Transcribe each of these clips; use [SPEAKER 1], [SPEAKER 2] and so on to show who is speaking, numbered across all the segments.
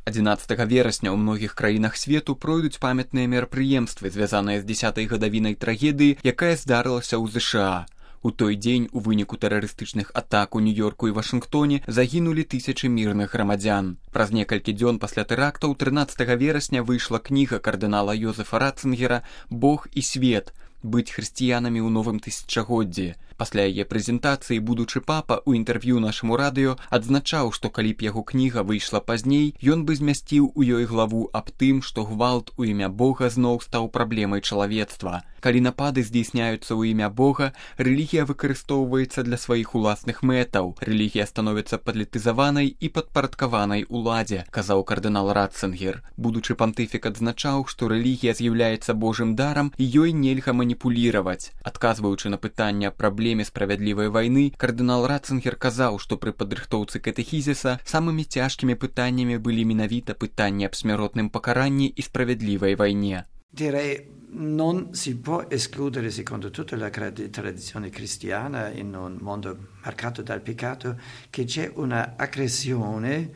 [SPEAKER 1] 11 верасня ў многіх краінах свету пройдуць памятныя мерапрыемствы, звязаныя з 10-й гадавінай трагедыі, якая здарылася ў ЗША. У той дзень у выніку тэрарыстычных атак у Нью-Йорку і Вашынгтоне загінулі тысячы мірных грамадзян. Праз некалькі дзён пасля тэрактаў 13 верасня выйшла кніга кардынала Йозефа Ратцингера «Бог і свет. Быць хрысціянамі ў новым тысячагоддзі». Пасля яе прэзентацыі будучы папа ў інтэрв'ю нашаму радыё адзначаў, што калі б яго кніга выйшла пазней, ён бы змясціў у ёй главу аб тым, што гвалт у імя Бога зноў стаў праблемай чалавецтва. Калі напады здзейсняюцца ў імя Бога, рэлігія выкарыстоўваецца для сваіх уласных мэтаў. Рэлігія становіцца палітызаванай і падпарадкаванай уладзе, казаў кардынал Ратцингер. Будучы пантыфік адзначаў, што рэлігія з'яўляецца Божым дарам і ёй нельга маніпуліраваць. Адказваючы на пытанне аб праблеме справядлівай вайны, кардынал Ратцингер казаў, што пры падрыхтоўцы катэхізіса самымі цяжкімі пытаннямі былі менавіта пытанні аб смяротным пакаранні і справядлівай вайне.
[SPEAKER 2] Direi non si può escludere, secondo tutta la tradizione cristiana, in un mondo marcato dal peccato, che c'è una aggressione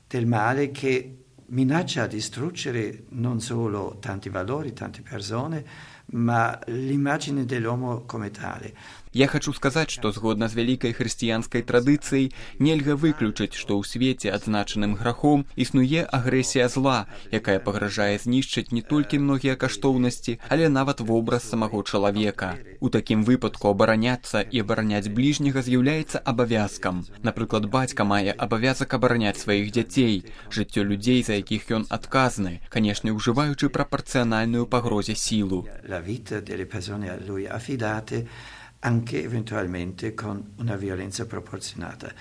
[SPEAKER 2] del male che minaccia a distruggere non solo tanti valori, tante persone, ma l'immagine dell'uomo come tale.
[SPEAKER 1] Я хачу сказаць, што згодна з вялікай хрысціянскай традыцыяй нельга выключыць, што ў свеце адзначаным грахом існуе агрэсія зла, якая пагражае знішчыць не толькі многія каштоўнасці, але нават вобраз самого чалавека. У такім выпадку абараняцца і абараняць бліжняга з'яўляецца абавязкам. Напрыклад, бацька мае абавязак абараняць сваіх дзяцей, жыццё людзей, за якіх ён адказны, канешне, ужываючы прапарцыянальную пагрозе сілу.
[SPEAKER 2] La vita delle persone a lui affidate anche eventualmente con una violenza proporzionata.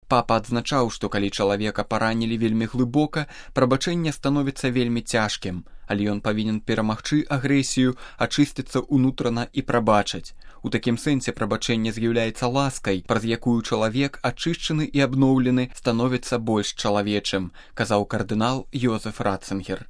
[SPEAKER 1] Папа адзначаў, што калі чалавека паранілі вельмі глыбока, прабачэнне становіцца вельмі цяжкім, але ён павінен перамагчы агрэсію, ачысціцца ўнутрана і прабачыць. У такім сэнсе прабачэнне з'яўляецца ласкай, праз якую чалавек, ачышчаны і абноўлены, становіцца больш чалавечым, казаў кардынал Йозеф Ратцингер.